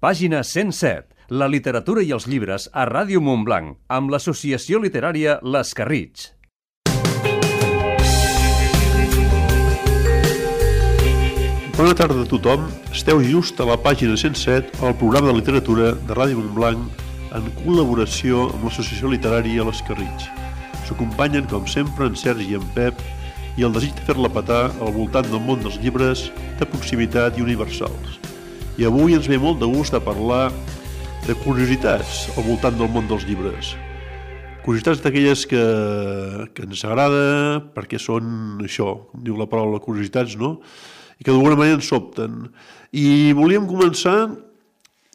Pàgina 107. La literatura i els llibres a Ràdio Montblanc, amb l'associació literària Les Carritx. Bona tarda a tothom. Esteu just a la pàgina 107, al programa de literatura de Ràdio Montblanc, en col·laboració amb l'associació literària Les Carritx. S'acompanyen, com sempre, en Sergi i en Pep, i el desig de fer-la petar al voltant del món dels llibres de proximitat i universals. I avui ens ve molt de gust de parlar de curiositats al voltant del món dels llibres. Curiositats d'aquelles que ens agrada perquè són això, com diu la paraula curiositats, no? I que d'alguna manera ens sobten. I volíem començar,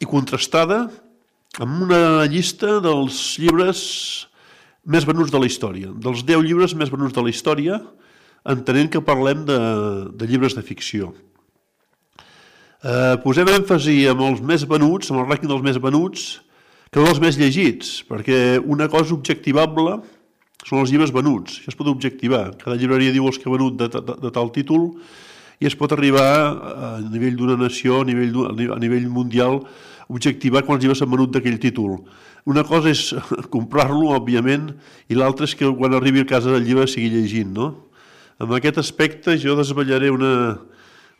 i contrastada, amb una llista dels llibres més venuts de la història, dels 10 llibres més venuts de la història, entenent que parlem de llibres de ficció. Posem èmfasi amb els més venuts, amb el rànquing dels més venuts, que no els més llegits, perquè una cosa objectivable són els llibres venuts, això es pot objectivar. Cada llibreria diu els que ha venut de tal títol i es pot arribar a nivell d'una nació, a nivell mundial, objectivar quants llibres s'han venut d'aquell títol. Una cosa és comprar-lo, òbviament, i l'altra és que quan arribi a casa del llibre sigui llegint, no? En aquest aspecte jo desvetllaré una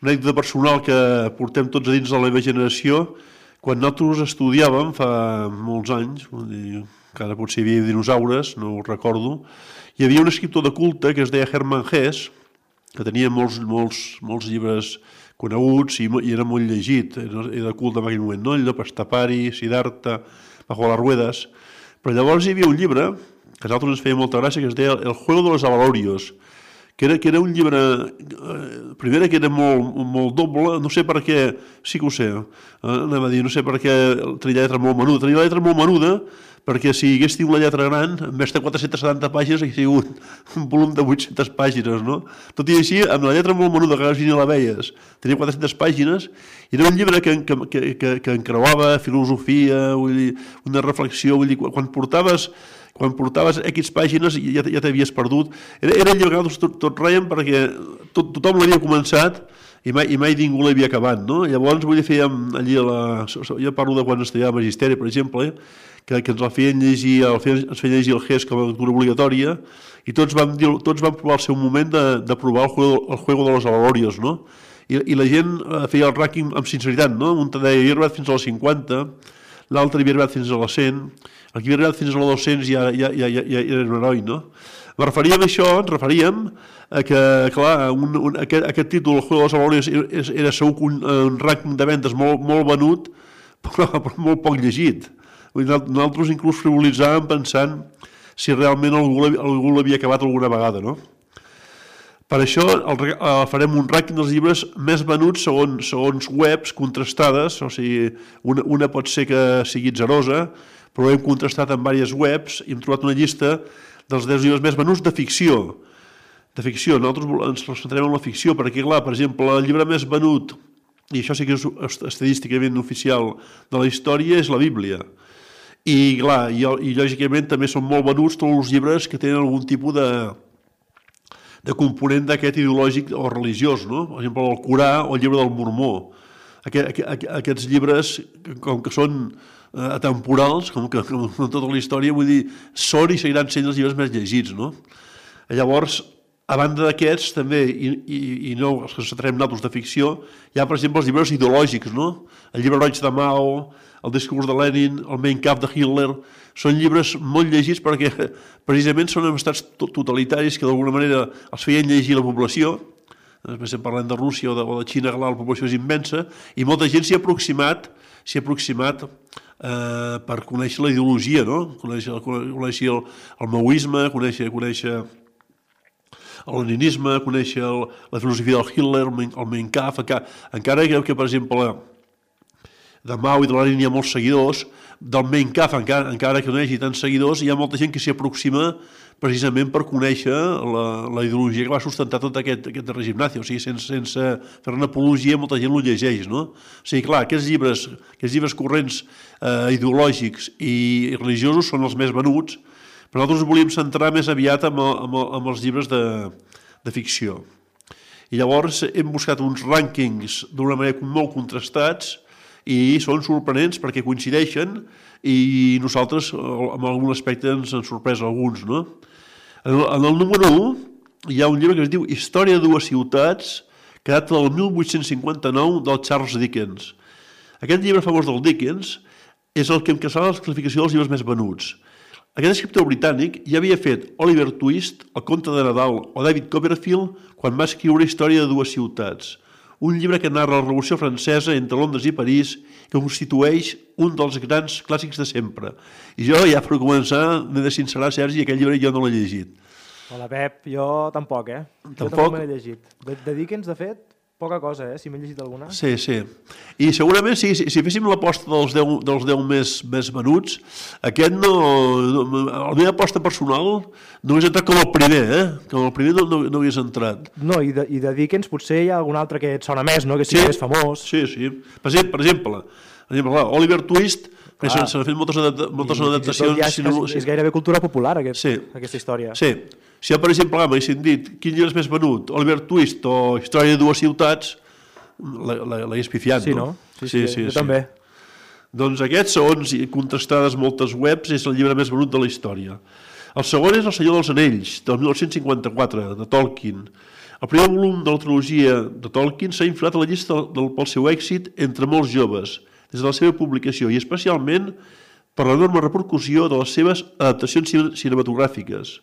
anècdota personal que portem tots a dins de la meva generació. Quan nosaltres estudiàvem fa molts anys, encara potser hi havia dinosaures, no ho recordo, hi havia un escriptor de culte que es deia Hermann Hesse, que tenia molts llibres coneguts i era molt llegit, era de culte en aquell moment, no? El Llop Estapari, Siddhartha, Bajo las Ruedas. Però llavors hi havia un llibre que a nosaltres ens feia molta gràcia, que es deia El Juego de los Avalorios, que era un llibre, primera que era molt doble, no sé per què, sí que ho sé, anem a dir, no sé per què tenia la lletra molt menuda. Tenia la lletra molt menuda perquè si hagués tingut la lletra gran, en vez de 470 pàgines, hauria sigut un volum de 800 pàgines, no? Tot i així, amb la lletra molt menuda, que quasi ni la veies, tenia 400 pàgines, i era un llibre que encreuava filosofia, vull dir, una reflexió, vull dir, quan portaves X pàgines ja t'havies perdut. Era el llibre que tot reiem perquè tothom l'havia començat i mai ningú l'havia acabat, no? Llavors, vull dir, fèiem allí, jo parlo de quan estudiava magisteri, per exemple, que ens feien llegir el Hesse com a lectura obligatòria i tots vam provar al seu moment de provar el Juego de los Avalorios, no? I la gent feia el rànquing amb sinceritat, no? Un deia, havia arribat fins a les 50, l'altre havia arribat fins a les 100, el que havia arribat fins a les 200 ja era un heroi, no? Ens referíem a que, clar, aquest títol, El Juego de los Avalorios, era segur un rànquing de vendes molt venut, però molt poc llegit. Nosaltres inclús frivolitzàvem pensant si realment algú l'havia acabat alguna vegada, no? Per això farem un rànquing dels llibres més venuts segons webs contrastades, o sigui, una pot ser que sigui atzarosa, però hem contrastat amb diverses webs i hem trobat una llista dels 10 llibres més venuts de ficció. De ficció, nosaltres ens concentrem en la ficció, perquè, clar, per exemple, el llibre més venut, i això sí que és estadísticament oficial de la història, és la Bíblia. I, clar, i lògicament també són molt venuts tots els llibres que tenen algun tipus de component d'aquest ideològic o religiós, no? Per exemple, el Corà o el llibre del Mormó. Aquests llibres, com que són atemporals, com tota la història, vull dir, són i seguiran sent els llibres més llegits, no? Llavors, a banda d'aquests, també, i no els que centrem nosaltres de ficció, hi ha, per exemple, els llibres ideològics, no? El llibre roig de Mao, el discurs de Lenin, el Mein Kampf de Hitler, són llibres molt llegits perquè precisament són estats totalitaris que d'alguna manera els feien llegir la població. Després parlem de Rússia o de Xina, la població és immensa, i molta gent s'hi ha aproximat per conèixer la ideologia, no? Conèixer el maoisme, conèixer el leninisme, conèixer la filosofia del Hitler, el Mein Kampf, encara que, per exemple, de Mao i de Lenin hi ha molts seguidors, del Mein Kampf, encara que no hi hagi tants seguidors, hi ha molta gent que s'hi aproxima precisament per conèixer la ideologia que va sustentar tot aquest règim nazi. O sigui, sense fer una apologia, molta gent ho llegeix, no? O sigui, clar, aquests llibres corrents ideològics i religiosos són els més venuts, però nosaltres volíem centrar més aviat amb els llibres de ficció. I llavors hem buscat uns rànquings d'una manera molt contrastats i són sorprenents perquè coincideixen i nosaltres en algun aspecte ens han sorprès alguns, no? En el número 1 hi ha un llibre que es diu Història de dues ciutats, que data del 1859 del Charles Dickens. Aquest llibre famós del Dickens és el que encasava la classificació dels llibres més venuts. Aquest escriptor britànic ja havia fet Oliver Twist, El conte de Nadal o David Copperfield quan va escriure Història de dues ciutats, un llibre que narra la Revolució Francesa entre Londres i París, que constitueix un dels grans clàssics de sempre. I jo, ja per començar, m'he de sincerar, Sergi, aquell llibre jo no l'he llegit. Hola, Pep, jo tampoc, Jo tampoc me l'he llegit. De Dickens, de fet, poca cosa, si m'he llegit alguna. Sí. I segurament, si féssim l'aposta dels 10 més venuts, aquest no... La meva aposta personal no hagués entrat com el primer, Com el primer no hagués entrat. No, i de Dickens potser hi ha algun altre que et sona més, no? Que sigui més famós. Sí. Per exemple, Oliver Twist, que s'han fet moltes adaptacions... És gairebé cultura popular, aquesta història. Sí. Si jo, per exemple, m'haguessin dit quin llibre és més venut, Oliver Twist o Història de dues ciutats, l'hagués pifiat, no? Sí, jo també. Doncs aquests, segons contrastades moltes webs, és el llibre més venut de la història. El segon és El Senyor dels Anells, del 1954, de Tolkien. El primer volum de la trilogia de Tolkien s'ha inflat a la llista pel seu èxit entre molts joves, des de la seva publicació, i especialment per l'enorme repercussió de les seves adaptacions cinematogràfiques.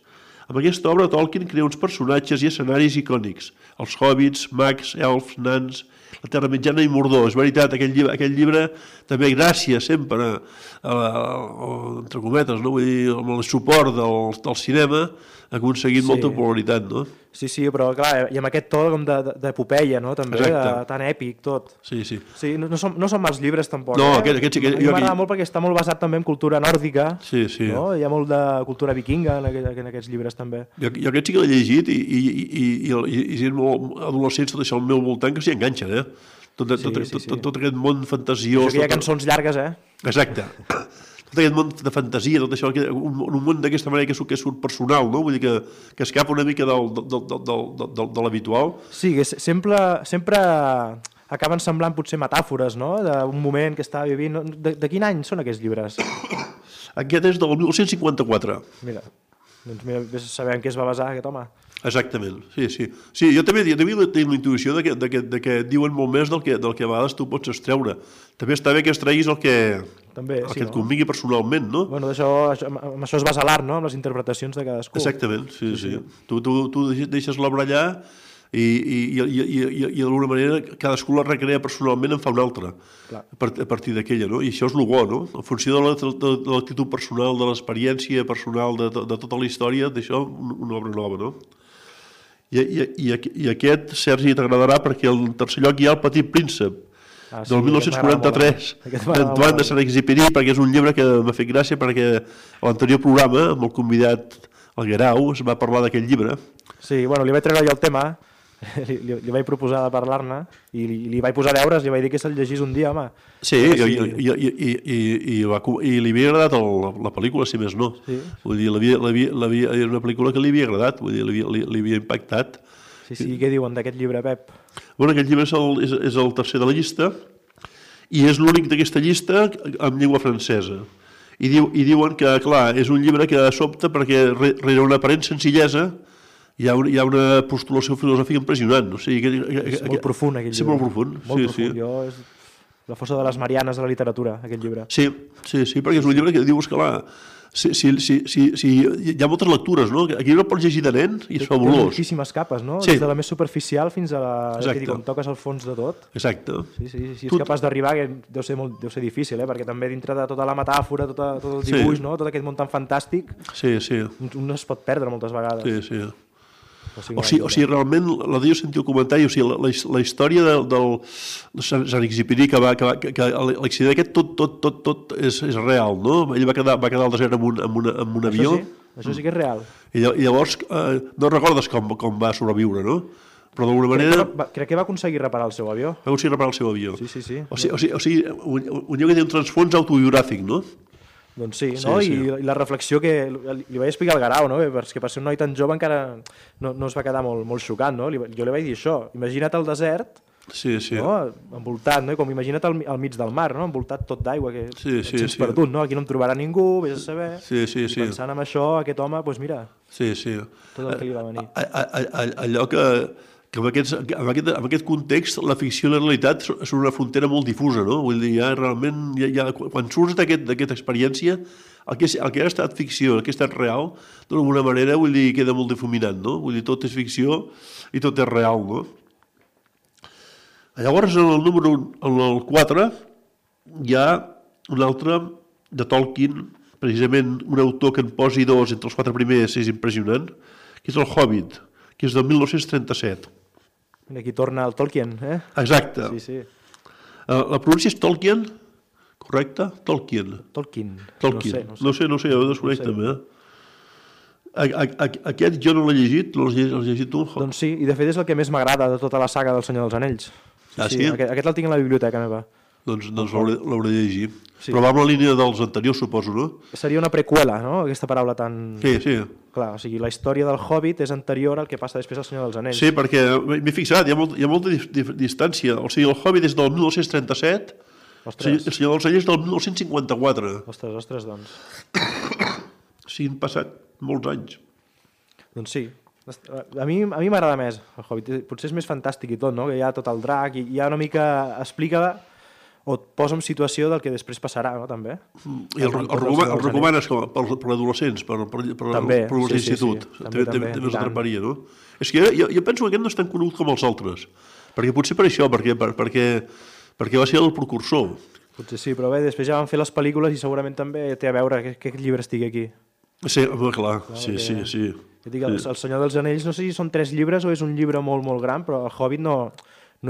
Amb aquesta obra, Tolkien crea uns personatges i escenaris icònics, els hobbits, mags, elfs, nans, la Terra Mitjana i Mordor. És veritat, aquell llibre també gràcies sempre, entre cometes, no? Vull dir, amb el suport del cinema, ha aconseguit molta popularitat, no? Sí, però clar, i amb aquest to com d'epopeia, no? També, tan èpic, tot. Sí. Sí, no són mals llibres, tampoc. No, aquest sí que... A mi m'agrada molt perquè està molt basat també en cultura nòrdica. Sí. No? Hi ha molt de cultura vikinga en aquests llibres, també. Jo aquest sí que l'he llegit i sent adolescents, tot això al meu voltant, que s'hi enganxen, Tot aquest món fantasiós... Això que hi ha cançons llargues, Exacte. Tot aquest món de fantasia, tot això, un món d'aquesta manera que surt personal, no? Vull dir que escapa una mica de l'habitual. Sí, que sempre acaben semblant potser metàfores, no? D'un moment que estava vivint. De quin any són aquests llibres? Aquest és del 1954. Mira, sabem què es va basar aquest home. Exactament, sí. Sí, jo també tinc la intuïció de que diuen molt més del que a vegades tu pots extreure. També està bé que extreguis el que et convingui personalment, no? Bueno, amb això es basa l'art, no? Amb les interpretacions de cadascú. Exactament, sí. Tu deixes l'obra allà i d'alguna manera cadascú la recrea personalment, en fa una altra a partir d'aquella, no? I això és el bo, no? En funció de l'actitud personal, de l'experiència personal de tota la història, d'això una obra nova, no? I aquest, Sergi, t'agradarà perquè al tercer lloc hi ha El Petit Príncep, del 1943, d'Antoine de Saint-Exupéry, perquè és un llibre que m'ha fet gràcia perquè a l'anterior programa, amb el convidat el Guerau, es va parlar d'aquest llibre. Sí, bueno, li vaig treure jo el tema, li vaig proposar de parlar-ne i li vaig posar deures, li vaig dir que se'l llegís un dia, home. Sí, i li havia agradat la pel·lícula, si més no. Vull dir, era una pel·lícula que li havia agradat, vull dir, li havia impactat. Sí, què diuen d'aquest llibre, Pep? Bueno, aquest llibre és el tercer de la llista i és l'únic d'aquesta llista en llengua francesa. I diuen que, clar, és un llibre que sobta perquè rere una aparent senzillesa hi ha una postulació filosòfica impressionant. És molt profund, aquell llibre. Sí, molt profund. Molt profund. És la fossa de les Marianes de la literatura, aquest llibre. Sí, perquè és un llibre que dius que, clar, hi ha moltes lectures, no? Aquest llibre el pots llegir de nen i és fabulós. Té moltíssimes capes, no? Des de la més superficial fins a la que quan toques el fons de tot. Exacte. Sí, si ets capaç d'arribar, que deu ser difícil, perquè també dintre de tota la metàfora, tot el dibuix, no? Tot aquest món tan fantàstic, un es pot perdre moltes vegades. Sí. O sigui, realment, l'altre dia sentia el comentari, o sigui, la història del Saint-Exupéry, que l'accident aquest tot és real, no? Ell va quedar al desert amb un avió. Això sí que és real. I llavors no recordes com va sobreviure, no? Però d'alguna manera... Crec que va aconseguir reparar el seu avió. Va aconseguir reparar el seu avió. Sí. O sigui, un lloc que té un transfons autobiogràfic, no? Doncs sí, no? I la reflexió que li vaig explicar al Guerau, no? Perquè per ser un noi tan jove encara no es va quedar molt xocat, no? Jo li vaig dir això, imagina't al desert, no? Envoltat, no? Com imagina't al mig del mar, no? Envoltat tot d'aigua, que ets perdut, no? Aquí no em trobarà ningú, vés a saber. I pensant en això, aquest home, doncs mira, tot el que li va venir. Allò que en aquest context la ficció i la realitat són una frontera molt difusa, no? Vull dir, realment, quan surts d'aquesta experiència, el que ha estat ficció, el que ha estat real, d'alguna manera, vull dir, queda molt difuminat, no? Vull dir, tot és ficció i tot és real, no? Llavors, en el 4, hi ha un altre de Tolkien, precisament un autor que en posi dos entre els 4 primers és impressionant, que és el Hobbit, que és del 1937. Aquí torna el Tolkien, eh? Exacte. Sí. La pronúncia és Tolkien, correcte? Tolkien. No sé, jo desconec també. Aquest jo no l'he llegit, l'has llegit tu? Doncs sí, i de fet és el que més m'agrada de tota la saga del Senyor dels Anells. Sí? Aquest el tinc a la biblioteca meva. Doncs l'hauré de llegir. Però va amb la línia dels anteriors, suposo, no? Seria una preqüela, no? Aquesta paraula tan... Sí. Clar, o sigui, la història del Hobbit és anterior al que passa després al Senyor dels Anells. Sí, perquè m'he fixat, hi ha molta distància. O sigui, el Hobbit és del 1937, el Senyor dels Anells del 1954. Ostres, doncs. Sí, han passat molts anys. Doncs sí. A mi m'agrada més el Hobbit. Potser és més fantàstic i tot, no? Que hi ha tot el drac i hi ha una mica... explica o et posa en situació del que després passarà, no? També. I el recomanes per adolescents, per l'institut. També us atraparia, no? És que jo penso que aquest no és tan conegut com els altres. Perquè potser per això, perquè va ser el precursor. Potser sí, però bé, després ja van fer les pel·lícules i segurament també té a veure que aquest llibre estigui aquí. Sí, clar, sí. Dic, el Senyor dels Anells, no sé si són 3 llibres o és un llibre molt, molt gran, però el Hobbit no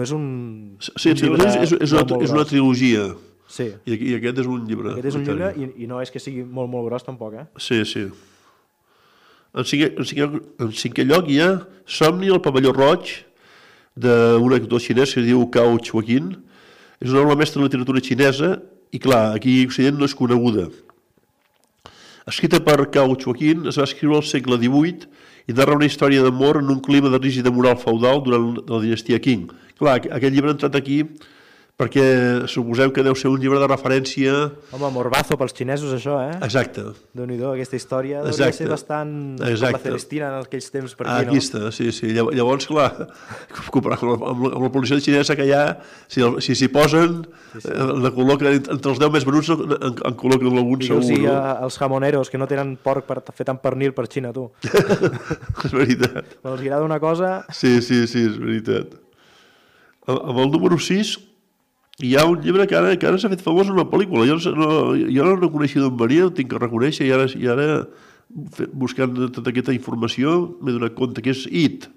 és un... Sí, és una trilogia. Sí. I aquest és un llibre. Aquest és un llibre i no és que sigui molt, molt gros tampoc, eh? Sí. En cinquè lloc hi ha Somni al pavelló roig, d'un actor xinès que es diu Cao Chuaquin. És una obra mestra de literatura xinesa i, clar, aquí a Occident no és coneguda. Escrita per Cao Chuaquin, es va escriure al segle XVIII i narra una història d'amor en un clima de rígida moral feudal durant la dinastia Qing. Clar, aquest llibre ha entrat aquí perquè suposem que deu ser un llibre de referència... Home, morbazo pels xinesos, això, eh? Exacte. Déu-n'hi-do, aquesta història hauria de ser bastant com la Celestina en aquells temps per aquí, no? Aquí està, sí. Llavors, clar, comparant amb la publicitat xinesa que hi ha, si s'hi posen, la col·loquen entre els 10 més venuts, en col·loquen algun segur. Digue'ls als jamoneros que no tenen porc per fer tant pernil per Xina, tu. És veritat. Quan els agrada una cosa... Sí, és veritat. Amb el número 6... hi ha un llibre que ara s'ha fet famós en una pel·lícula. Jo no reconeixia d'on venia, ho tinc que reconèixer, i ara buscant tota aquesta informació m'he donat compte que és It,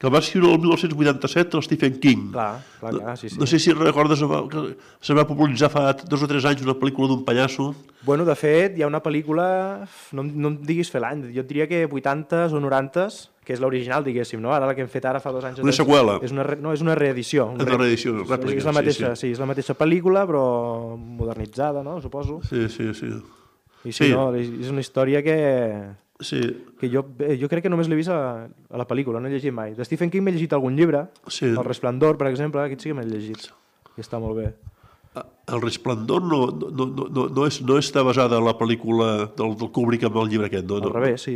que el va escriure el 1987 el Stephen King. Clar, sí. No sé si recordes que se va popularitzar fa 2 o 3 anys una pel·lícula d'un pallasso. Bueno, de fet, hi ha una pel·lícula, no em diguis fer l'any, jo et diria que 80s o 90s, que és l'original, diguéssim, no? Ara la que hem fet ara fa 2 anys. Una seqüela. És una reedició. És una reedició, rèplica. És la mateixa, sí, és la mateixa pel·lícula, però modernitzada, no? Suposo. Sí. I sí, no, és una història que jo crec que només l'he vist a la pel·lícula, no he llegit mai. De Stephen King m'he llegit algun llibre, El Resplendor, per exemple, aquest sí que m'he llegit, i està molt bé. El Resplendor no està basada en la pel·lícula del Kubrick amb el llibre aquest, no? Al revés, sí.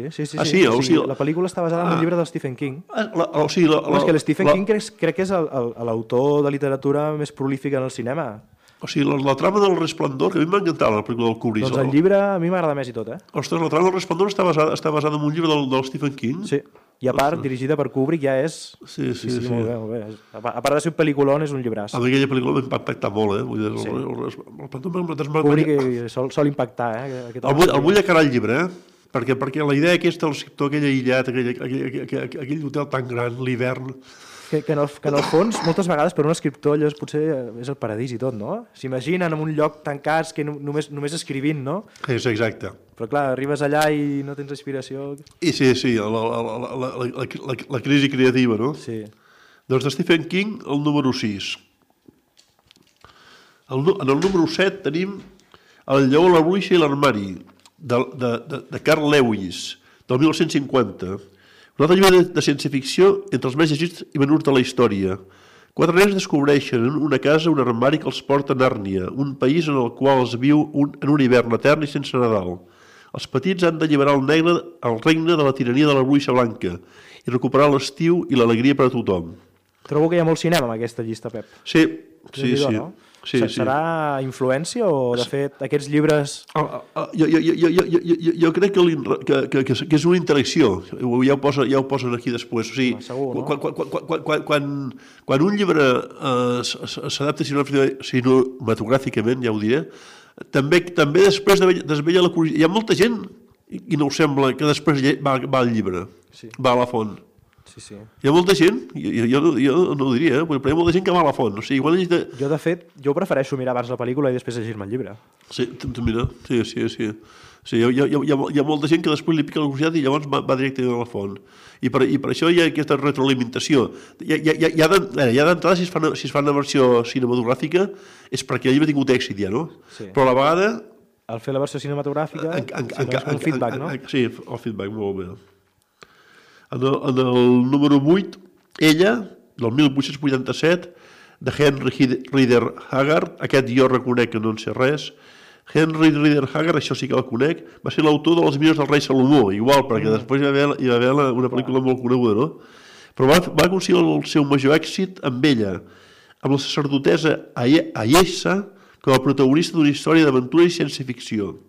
La pel·lícula està basada en el llibre del Stephen King. És que el Stephen King crec que és l'autor de literatura més prolífic en el cinema. O sigui, la trama del Resplendor, que a mi m'ha encantat la pel·lícula del Kubrick. Doncs el llibre a mi m'agrada més i tot, eh? Ostres, la trama del Resplendor està basada en un llibre del Stephen King? Sí. I a part, dirigida per Kubrick, ja és... Sí. Molt bé. A part de ser un pel·lículon, és un llibràs. A mi aquella pel·lícula m'ha impactat molt, eh? Kubrick sol impactar, eh? El vull acabar el llibre, eh? Perquè la idea aquesta del escriptor, aquell aïllat, aquell hotel tan gran, l'hivern... Que en el fons, moltes vegades, per un escriptor, allò potser és el paradís i tot, no? S'imaginen en un lloc tancats que només escrivint, no? És exacte. Però clar, arribes allà i no tens inspiració. I sí, la crisi creativa, no? Sí. Doncs de Stephen King, el número 6. En el número 7 tenim El lleó, la bruixa i l'armari, de Carl Lewis, del 1950. Un altre llibre de ciència-ficció entre els més llegits i venuts de la història. 4 nens descobreixen en una casa un armari que els porta a Nàrnia, un país en el qual es viu en un hivern etern i sense Nadal. Els petits han d'alliberar el regne de la tirania de la bruixa blanca i recuperar l'estiu i l'alegria per a tothom. Trobo que hi ha molt cinema en aquesta llista, Pep. Sí. No? Serà influència o, de fet, aquests llibres... Jo crec que és una interacció. Ja ho posen aquí després. O sigui, segur, no? Quan un llibre s'adapta cinematogràficament, ja ho diré, també després desvella la curiositat. Hi ha molta gent, i no ho sembla, que després va al llibre, va a la font. Sí. Hi ha molta gent, jo no ho diria, però hi ha molta gent que va a la font. O sigui, Jo, de fet, prefereixo mirar abans la pel·lícula i després llegir-me el llibre. Sí, mira, sí. Hi ha molta gent que després li pica la curiositat i llavors va directament a la font. I per això hi ha aquesta retroalimentació. Ja d'entrada, si es fa una versió cinematogràfica, és perquè el llibre ha tingut èxit ja, no? Sí. Però a la vegada... Al fer la versió cinematogràfica, és un feedback, no? Sí, el feedback, molt bé. En el número 8, Ella, del 1887, de Henry Rider Haggard. Aquest jo reconec que no en sé res. Henry Rider Haggard, això sí que el conec, va ser l'autor de Les Mines del rei Salomó, igual, perquè després hi va haver una pel·lícula molt coneguda, no? Però va aconseguir el seu major èxit amb Ella, amb la sacerdotessa Ayesha com a protagonista d'una història d'aventura i ciència-ficció.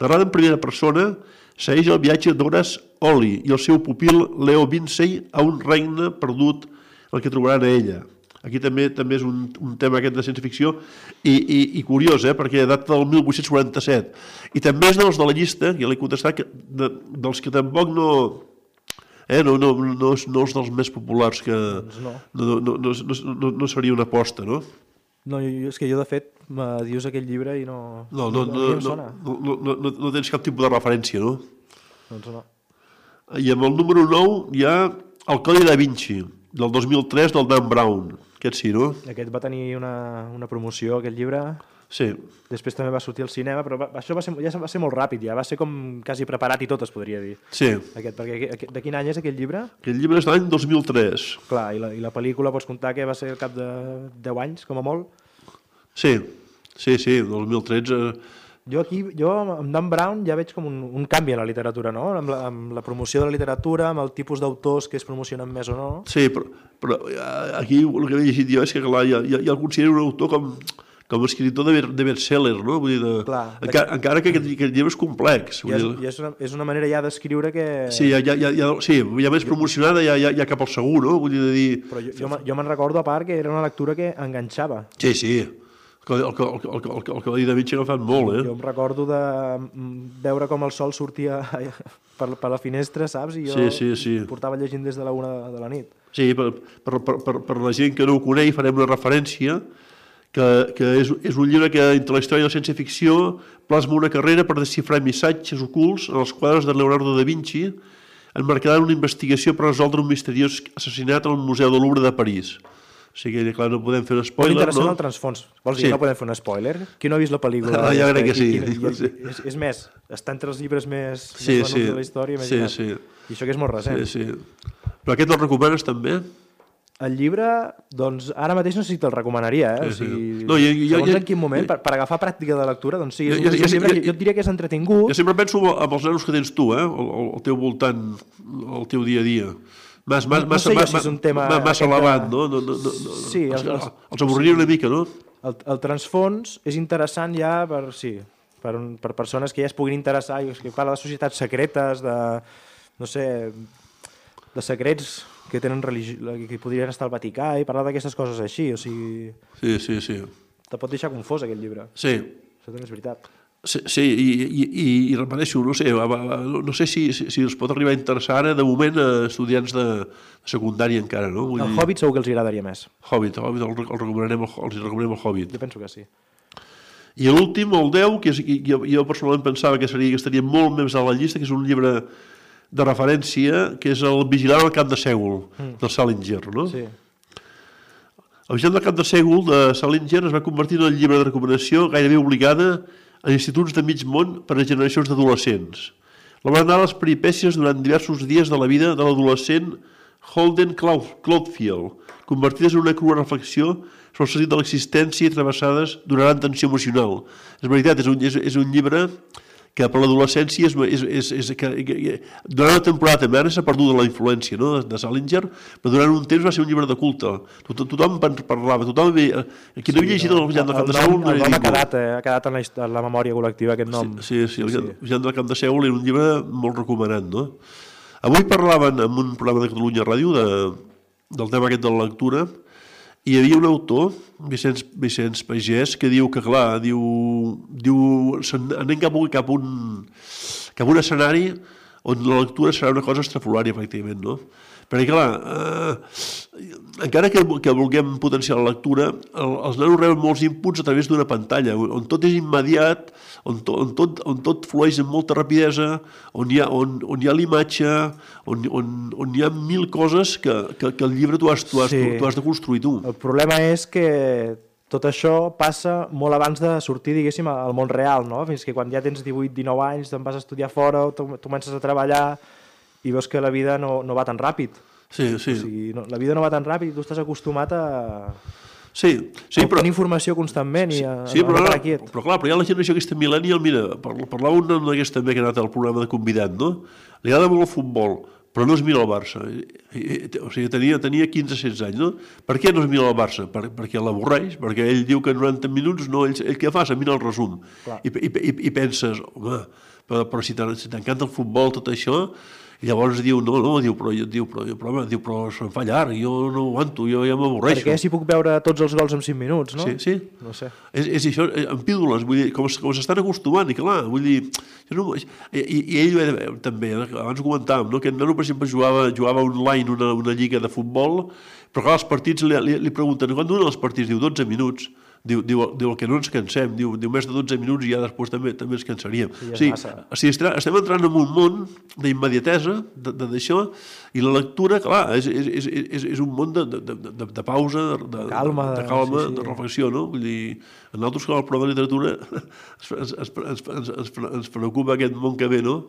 Narrada en primera persona, segueix el viatge d'Horace Ollie i el seu pupil Leo Vincey a un regne perdut el que trobaran a Ella. Aquí també és un tema aquest de ciència-ficció i curiós, perquè data del 1847. I també és dels de la llista, ja l'he contestat, dels que tampoc no és dels més populars, que no seria una aposta, no? No, és que jo, de fet, me dius aquell llibre i no... No tens cap tipus de referència, no? Doncs no. I amb el número 9 hi ha El Codi da Vinci, del 2003, del Dan Brown. Aquest sí, no? Aquest va tenir una promoció, aquest llibre. Sí. Després també va sortir al cinema, però això va ser molt ràpid, ja. Va ser com quasi preparat i tot, es podria dir. Sí. Perquè de quin any és aquell llibre? Aquest llibre és de l'any 2003. Clar, i la pel·lícula pots comptar que va ser al cap de 10 anys, com a molt? Sí, 2013... Jo amb Dan Brown ja veig com un canvi en la literatura, no? Amb la promoció de la literatura, amb el tipus d'autors que es promocionen més o no. Sí, però aquí el que he llegit jo és que, clar, ja el considero un autor com a escriptor de best-seller, no? Vull dir, encara que aquest llibre és complex. I és una manera ja d'escriure que... Sí, ja més promocionada, ja cap al segur, no? Vull dir... Però jo me'n recordo, a part, que era una lectura que enganxava. Sí. El Codi da Vinci ha agafat molt, Jo em recordo de veure com el sol sortia per la finestra, saps? I jo portava llegint des de la 1 de la nit. Sí, per la gent que no ho coneix farem una referència que és un llibre que entre la història de la ciència-ficció plasma una carrera per desxifrar missatges ocults en els quadres de Leonardo da Vinci, emmarcada en una investigació per resoldre un misteriós assassinat al Museu del Louvre de París. O sigui, clar, no podem fer un spoiler, no? Interessant el transfons. Vols dir que no podem fer un spoiler? Qui no ha vist la pel·lícula? Jo crec que sí. És més, està entre els llibres més venuts de la història. Sí. I això que és molt recent. Sí. Però aquest el recomanes també? El llibre, doncs, ara mateix no sé si te'l recomanaria, O sigui, segons en quin moment, per agafar pràctica de lectura, doncs sí, és un llibre que jo et diria que és entretingut. Jo sempre penso amb els nanos que tens tu, al teu voltant, al teu dia a dia. Massa elevat, no? Sí. Els avorriria una mica, no? El transfons és interessant ja per persones que ja es puguin interessar, que parla de societats secretes, de secrets que tenen que podrien estar al Vaticà i parlar d'aquestes coses així, o sigui... Sí. Te pot deixar confós aquest llibre. Sí. Això també és veritat. Sí, i repeteixo, no sé si els pot arribar a interessar ara, de moment, a estudiants de secundària encara, no? El Hobbit segur que els agradaria més. Hobbit, els recomanem el Hobbit. Jo penso que sí. I l'últim, el 10, que jo personalment pensava que estaria molt més a la llista, que és un llibre de referència, que és el Vigilant al camp de Sègol, de Salinger, no? Sí. El Vigilant al camp de Sègol, de Salinger, es va convertir en el llibre de recomanació gairebé obligada en instituts de mig món per a generacions d'adolescents. La van anar a les peripècies durant diversos dies de la vida de l'adolescent Holden Caulfield, convertides en una crua reflexió sobre el sentit de l'existència i travessades d'una gran tensió emocional. És veritat, és un llibre que per l'adolescència durant una temporada també ara s'ha perdut la influència, no?, de Salinger, però durant un temps va ser un llibre de culte. Tothom parlava, tothom havia... Qui no havia llegit el Vigilant del Camp de Sègol... El nom ha quedat en la memòria col·lectiva, aquest nom. Sí, el Vigilant del Camp de Sègol era un llibre molt recomanat, no? Avui parlaven en un programa de Catalunya Ràdio del tema aquest de la lectura, i hi havia un autor, Vicenç Pagès, que diu que, clar, anem cap a un escenari on la lectura serà una cosa estrafolària, pràcticament, no? Perquè, clar, encara que vulguem potenciar la lectura, els nanos reben molts inputs a través d'una pantalla, on tot és immediat, on tot flueix amb molta rapidesa, on hi ha l'imatge, on hi ha mil coses que el llibre tu has de construir tu. El problema és que tot això passa molt abans de sortir, diguéssim, al món real, no? Fins que quan ja tens 18-19 anys, te'n vas a estudiar fora, tu comences a treballar i veus que la vida no va tan ràpid. Sí. O sigui, la vida no va tan ràpid i tu estàs acostumat a tenir informació constantment i a estar quiet. Però clar, hi ha la generació aquesta millennial, mira, parlava un nen d'aquest també que ha anat al programa de convidat, no? Li agrada molt el futbol, però no es mira el Barça. O sigui, tenia 15-16 anys, no? Per què no es mira el Barça? Perquè l'avorreix, perquè ell diu que en 90 minuts ell què fa? Se mira el resum. I penses, home, però si t'encanta el futbol, tot això... I llavors diu, però se'm fa llarg, jo no aguanto, jo ja m'avorreixo. Per què si puc veure tots els gols en 5 minuts, no? Sí. No sé. És això, en pídoles, vull dir, com s'estan acostumant, i clar, vull dir... I ell també, abans ho comentàvem, no? Que el nano, per exemple, jugava online una lliga de futbol, però clar, els partits li pregunten, quan duren els partits? Diu, 12 minuts. Diu que no ens cansem, diu més de 12 minuts i ja després també ens cansaríem. Estem entrant en un món d'immediatesa, d'això, i la lectura, clar, és un món de pausa, de calma, de reflexió, no? Vull dir, a nosaltres, com a prova de literatura, ens preocupa aquest món que ve, no?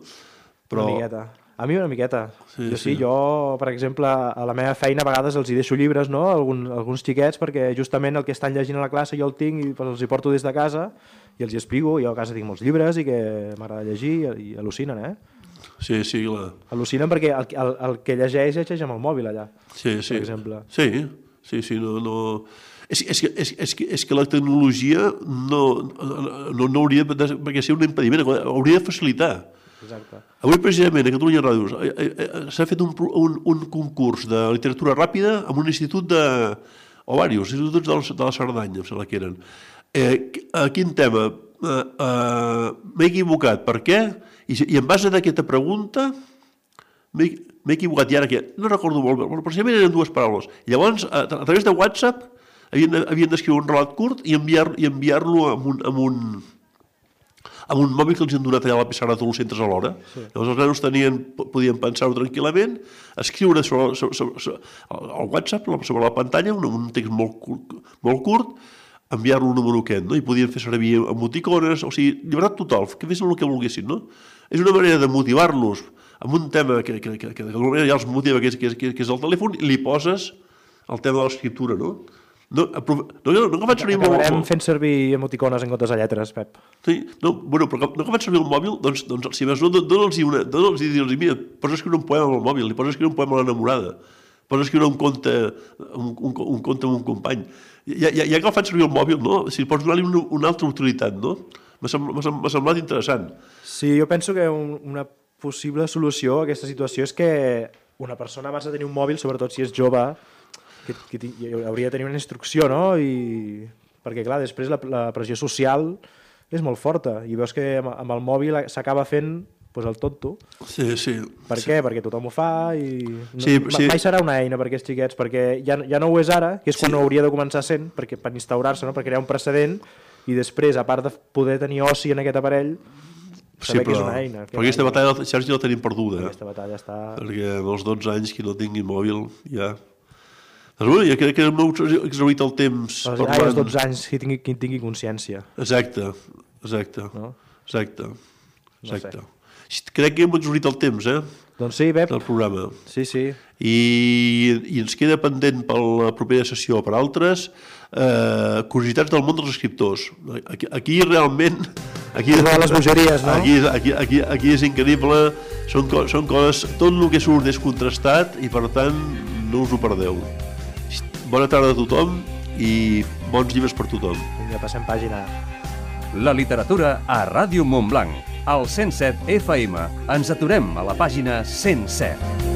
Una miqueta. A mi una miqueta. Jo, per exemple, a la meva feina a vegades els hi deixo llibres, no?, alguns xiquets, perquè justament el que estan llegint a la classe jo el tinc i els hi porto des de casa i els hi explico. Jo a casa tinc molts llibres i que m'agrada llegir i al·lucinen, Sí, clar. Al·lucinen perquè el que llegeix amb el mòbil allà, per exemple. Sí, no... És que la tecnologia no hauria de ser un impediment, hauria de facilitar. Exacte. Avui, precisament, a Catalunya Ràdio s'ha fet un concurs de literatura ràpida amb un institut o diversos instituts de la Cerdanya, em sembla que eren. Quin tema? M'he equivocat. Per què? I en base d'aquesta pregunta m'he equivocat. I ara què? No recordo molt bé. Precisament eren 2 paraules. Llavors, a través de WhatsApp, havien d'escriure un relat curt i enviar-lo amb un mòbil que els han donat allà a la pissarra de tots els centres alhora. Llavors els nanos podien pensar-ho tranquil·lament, escriure al WhatsApp, sobre la pantalla, un text molt curt, enviar-lo un número aquest, no? I podien fer servir emoticones, o sigui, llibertat total, que fessin el que volguessin, no? És una manera de motivar-los amb un tema que d'alguna manera ja els motiva, que és el telèfon, i li poses el tema de l'escriptura, no? No faig servir molt... Acabarem fent servir emoticones en comptes de lletres, Pep. Sí, però no faig servir el mòbil, doncs si més no, dona'ls-hi, mira, pots escriure un poema amb el mòbil, li pots escriure un poema a l'enamorada, pots escriure un conte amb un company. Ja que el faig servir el mòbil, no? Si pots donar-li una altra utilitat, no? M'ha semblat interessant. Sí, jo penso que una possible solució a aquesta situació és que una persona abans de tenir un mòbil, sobretot si és jove, que hauria de tenir una instrucció, no? Perquè, clar, després la pressió social és molt forta i veus que amb el mòbil s'acaba fent el tonto. Sí. Per què? Perquè tothom ho fa i... Mai serà una eina per aquests xiquets, perquè ja no ho és ara, que és quan ho hauria de començar sent, per instaurar-se, per crear un precedent i després, a part de poder tenir oci en aquest aparell, saber que és una eina. Però aquesta batalla, Sergi, la tenim perduda. Aquesta batalla està... Perquè als 12 anys qui no tingui mòbil ja... Doncs bé, jo crec que hem exhaurit el temps... Als 12 anys qui tingui consciència. Exacte. No? Exacte. No sé. Crec que hem exhaurit el temps, Doncs sí, Pep. del programa. Sí. I ens queda pendent per la propera sessió o per altres curiositats del món dels escriptors. Aquí realment... Aquí les bogeries, no? Aquí és increïble, són coses... Tot el que surt és contrastat i, per tant, no us ho perdeu. Bona tarda a tothom i bons llibres per tothom. Vinga, passem pàgina. La literatura a Ràdio Montblanc. Al 107 FM. Ens aturem a la pàgina 107.